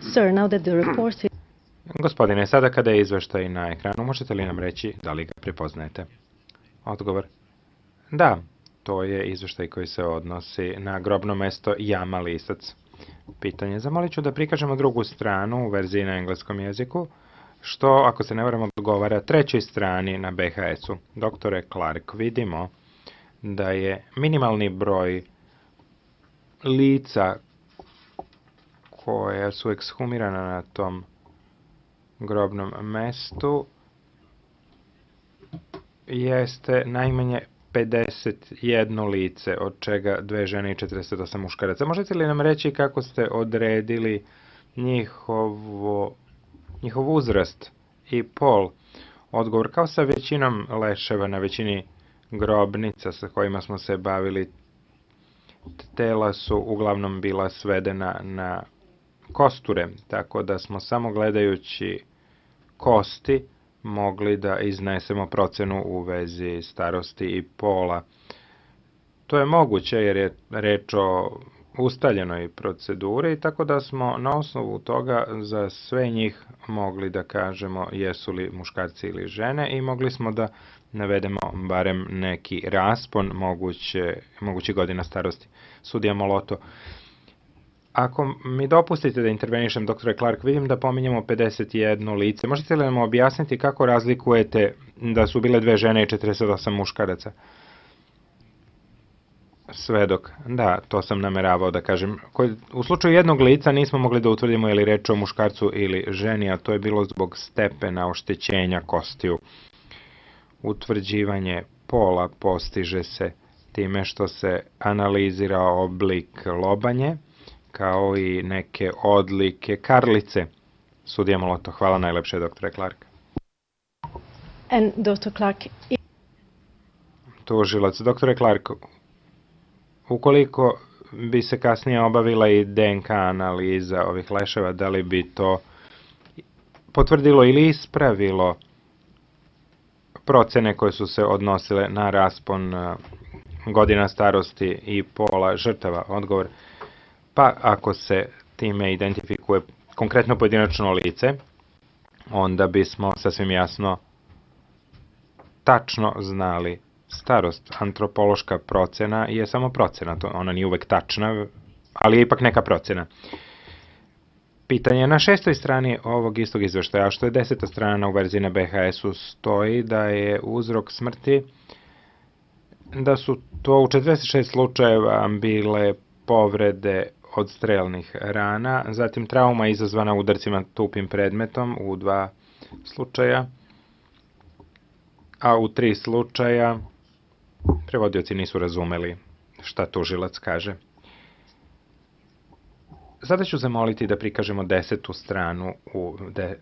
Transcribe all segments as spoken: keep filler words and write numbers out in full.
Sir, now that the report is... Gospodine, sada kada je izveštaj na ekranu, možete li nam reći da li ga prepoznajete? Odgovor. Da, to je izveštaj koji se odnosi na grobno mesto Jama Lisac. Pitanje. Zamolit ću da prikažemo drugu stranu u verziji na engleskom jeziku, što, ako se ne varam, odgovara trećoj strani na be ha esu. Doktore Clark, vidimo da je minimalni broj lica koja su ekshumirana na tom grobnom mestu jeste najmanje pedeset jedno lice, od čega dve žene i četrdeset osam muškaraca. Možete li nam reći kako ste odredili njihovo, njihov uzrast i pol? Odgovor. Kao sa većinom leševa na većini grobnica sa kojima smo se bavili, tela su uglavnom bila svedena na kosture, tako da smo samo gledajući kosti mogli da iznesemo procenu u vezi starosti i pola. To je moguće jer je reč o ustaljenoj proceduri, tako da smo na osnovu toga za sve njih mogli da kažemo jesu li muškarci ili žene i mogli smo da navedemo barem neki raspon moguće, mogući godina starosti. Sudija Moloto. Ako mi dopustite da intervenišem, doktore Clark, vidim da pominjamo pedeset jedno lice. Možete li nam objasniti kako razlikujete da su bile dve žene i četrdeset osam muškaraca? Svedok. Da, to sam nameravao da kažem. U slučaju jednog lica nismo mogli da utvrdimo je li reč o muškarcu ili ženi, a to je bilo zbog stepena oštećenja kostiju. Utvrđivanje pola postiže se time što se analizira oblik lobanje, kao i neke odlike karlice. Sudija Moloto, hvala najlepše, doktore Clark. And doctor Clark... Tužilac, doktore Clark, ukoliko bi se kasnije obavila i de en ka analiza ovih leševa, da li bi to potvrdilo ili ispravilo procene koje su se odnosile na raspon godina starosti i pola žrtava? Odgovor. Pa ako se time identifikuje konkretno pojedinačno lice, onda bismo sasvim jasno tačno znali starost. Antropološka procena je samo procena, to ona nije uvek tačna, ali je ipak neka procena. Pitanje na šestoj strani ovog istog izveštaja, što je deseta strana u verziji na be ha esu, stoji da je uzrok smrti, da su to u četrdeset šest slučajeva bile povrede od strelnih rana, zatim trauma izazvana udarcima tupim predmetom u dva slučaja, a u tri slučaja prevodioci nisu razumeli šta tužilac kaže. Sada ću zamoliti da prikažemo desetu stranu u de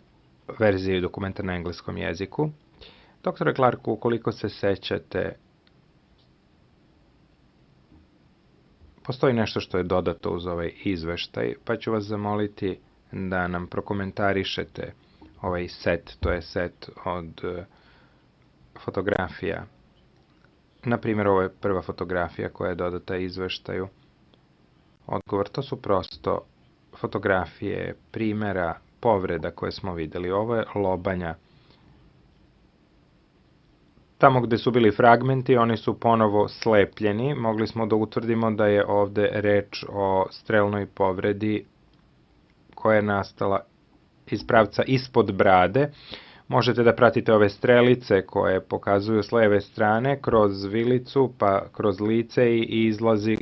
verziji dokumenta na engleskom jeziku. Doktore Clark, ukoliko se sećate, postoji nešto što je dodato uz ovaj izveštaj, pa ću vas zamoliti da nam prokomentarišete ovaj set, to je set od fotografija. Naprimjer, ovo je prva fotografija koja je dodata izveštaju. Odgovor, to su prosto fotografije primera povreda koje smo videli. Ovo je lobanja. Tamo gde su bili fragmenti, oni su ponovo slepljeni. Mogli smo da utvrdimo da je ovde reč o strelnoj povredi koja je nastala iz pravca ispod brade. Možete da pratite ove strelice koje pokazuju s leve strane kroz vilicu, pa kroz lice i izlazi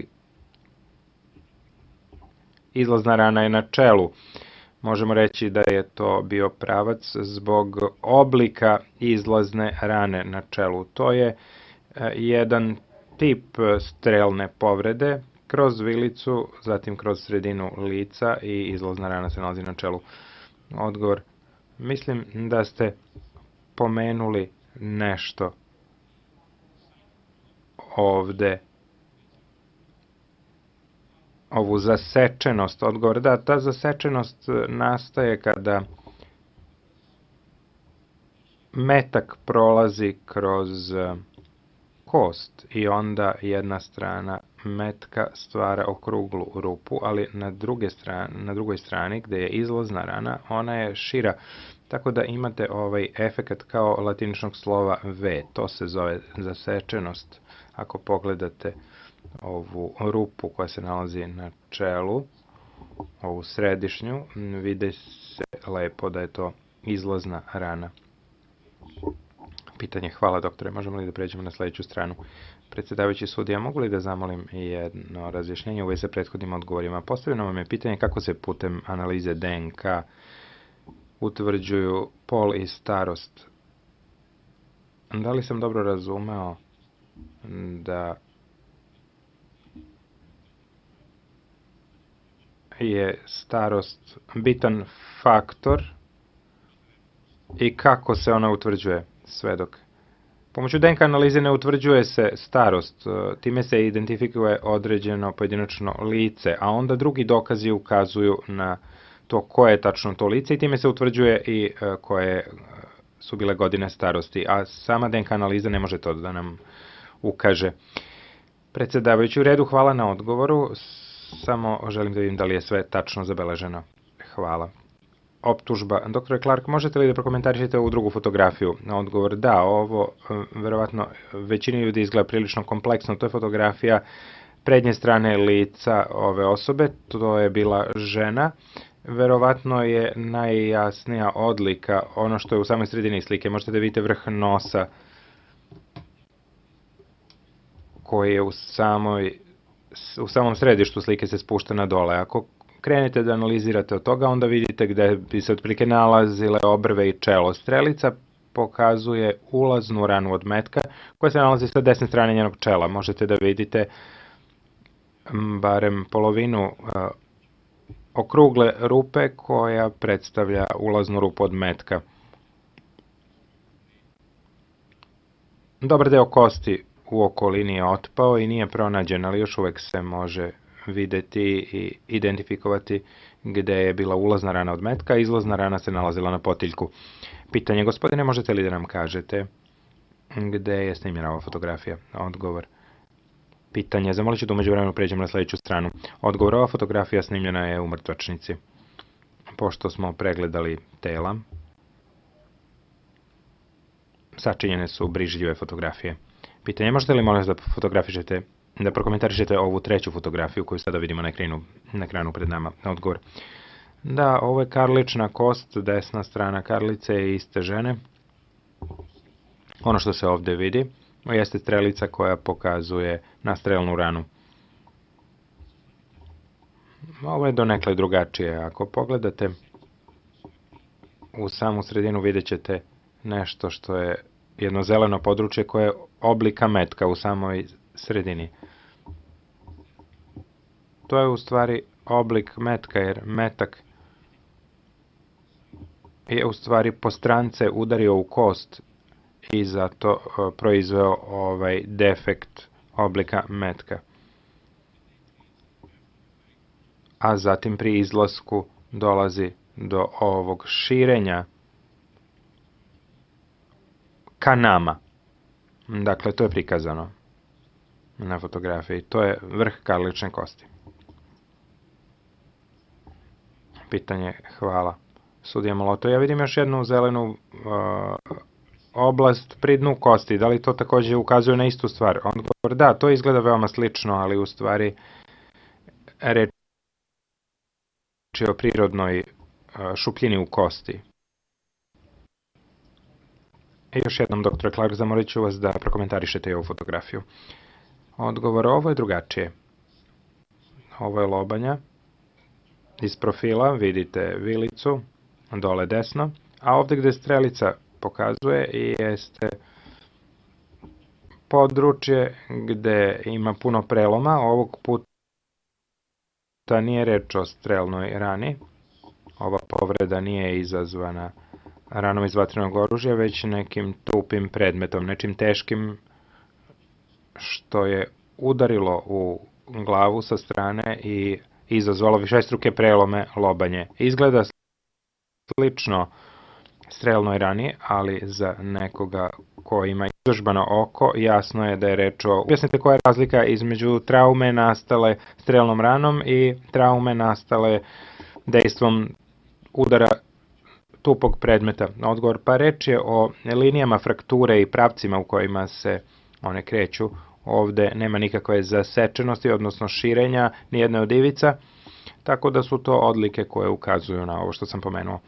izlazna rana je na čelu. Možemo reći da je to bio pravac zbog oblika izlazne rane na čelu. To je jedan tip strelne povrede kroz vilicu, zatim kroz sredinu lica i izlazna rana se nalazi na čelu. Odgovor. Mislim da ste pomenuli nešto ovde, ovu zasečenost. Odgovor, da, ta zasečenost nastaje kada metak prolazi kroz kost i onda jedna strana metka stvara okruglu rupu, ali na, druge strane, na drugoj strani gde je izlazna rana, ona je šira, tako da imate ovaj efekat kao latiničnog slova V. To se zove zasečenost. Ako pogledate ovu rupu koja se nalazi na čelu, ovu središnju, vidi se lepo da je to izlazna rana. Pitanje, hvala doktore, možemo li da pređemo na sledeću stranu? Predsjedavajući sudija, mogu li da zamolim jedno razjašnjenje u vezi sa prethodnim odgovorima? Postavljeno vam je pitanje kako se putem analize D N K utvrđuju pol i starost. Da li sam dobro razumeo da je starost bitan faktor i kako se ona utvrđuje, svedok? Pomoću D N K analize ne utvrđuje se starost, time se identifikuje određeno pojedinačno lice, a onda drugi dokazi ukazuju na to koje je tačno to lice i time se utvrđuje i koje su bile godine starosti, a sama D N K analiza ne može to da nam ukaže. Predsjedavajući, u redu, hvala na odgovoru, samo želim da vidim da li je sve tačno zabeleženo. Hvala. Optužba. Doktore Clark, možete li da prokomentarišete ovu drugu fotografiju? Odgovor, da, ovo verovatno većini ljudi izgleda prilično kompleksno. To je fotografija prednje strane lica ove osobe, to je bila žena. Verovatno je najjasnija odlika ono što je u samoj sredini slike. Možete da vidite vrh nosa koji je u samoj u samom središtu slike se spušta na dole. Ako krenete da analizirate od toga, onda vidite gde bi se otprilike nalazile obrve i čelo. Strelica pokazuje ulaznu ranu od metka koja se nalazi sa desne strane njenog čela. Možete da vidite barem polovinu okrugle rupe koja predstavlja ulaznu rupu od metka. Dobar deo kosti u okolini je otpao i nije pronađen, ali još uvek se može videti i identifikovati gde je bila ulazna rana od metka, a izlazna rana se nalazila na potiljku. Pitanje, gospodine, možete li da nam kažete gde je snimljena ova fotografija? Odgovor. Pitanje, zamolit ću da umeđu vremenu pređemo na sledeću stranu. Odgovor, ova fotografija snimljena je u mrtvačnici. Pošto smo pregledali tela, sačinjene su brižljive fotografije. Pitanje, možete li molim da fotografišete, da prokomentarišete ovu treću fotografiju koju sada vidimo na ekranu, na ekranu pred nama? Odgovor. Da, ovo je karlična kost, desna strana karlice je iste žene. Ono što se ovde vidi jeste strelica koja pokazuje na strelnu ranu. Ovo je donekle drugačije. Ako pogledate u samu sredinu vidjet ćete nešto što je jedno zeleno područje koje je oblika metka u samoj sredini. To je u stvari oblik metka, jer metak je u stvari po strance udario u kost i zato proizveo ovaj defekt oblika metka. A zatim pri izlasku dolazi do ovog širenja ka nama. Dakle, to je prikazano na fotografiji. To je vrh karlične kosti. Pitanje, hvala. Sudija Moloto, ja vidim još jednu zelenu uh, oblast pri dnu kosti. Da li to takođe ukazuje na istu stvar? Odgovor, da, to izgleda veoma slično, ali u stvari reč je o prirodnoj uh, šupljini u kosti. I još jednom, doktore Clark, zamolit ću vas da prokomentarišete i ovu fotografiju. Odgovor, ovo je drugačije. Ovo je lobanja. Iz profila vidite vilicu, dole desno, a ovde gde strelica pokazuje jeste područje gde ima puno preloma. Ovog puta nije reč o strelnoj rani. Ova povreda nije izazvana ranom iz vatrenog oružja, već nekim tupim predmetom, nečim teškim što je udarilo u glavu sa strane i izazvalo višestruke prelome lobanje. Izgleda slično strelnoj rani, ali za nekoga ko ima izložbano oko, jasno je da je reč o... Objasnite koja je razlika između traume nastale strelnom ranom i traume nastale dejstvom udara tupog predmeta. Odgovor, pa reč je o linijama frakture i pravcima u kojima se one kreću. Ovde nema nikakve zasečenosti, odnosno širenja nijedne od ivica, tako da su to odlike koje ukazuju na ovo što sam pomenuo.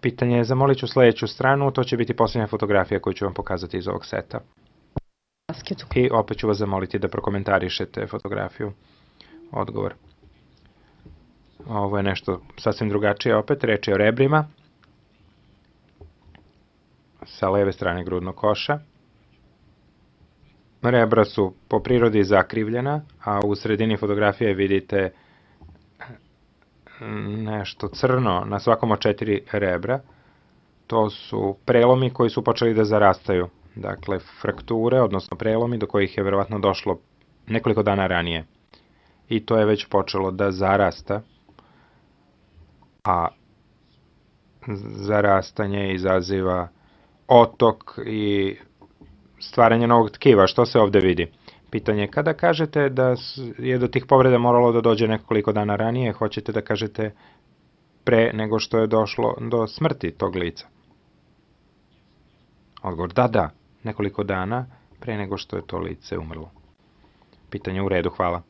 Pitanje je, zamolit ću sledeću stranu, to će biti posljednja fotografija koju ću vam pokazati iz ovog seta. I opet ću vas zamoliti da prokomentarišete fotografiju. Odgovor. Ovo je nešto sasvim drugačije opet, reč je o rebrima sa leve strane grudnog koša. Rebra su po prirodi zakrivljena, a u sredini fotografije vidite nešto crno na svakom od četiri rebra. To su prelomi koji su počeli da zarastaju. Dakle, frakture, odnosno prelomi do kojih je verovatno došlo nekoliko dana ranije. I to je već počelo da zarasta, a zarastanje izaziva otok i stvaranje novog tkiva. Što se ovde vidi? Pitanje, kada kažete da je do tih povreda moralo da dođe nekoliko dana ranije, hoćete da kažete pre nego što je došlo do smrti tog lica? Odgovor, da, da, nekoliko dana pre nego što je to lice umrlo. Pitanje u redu, hvala.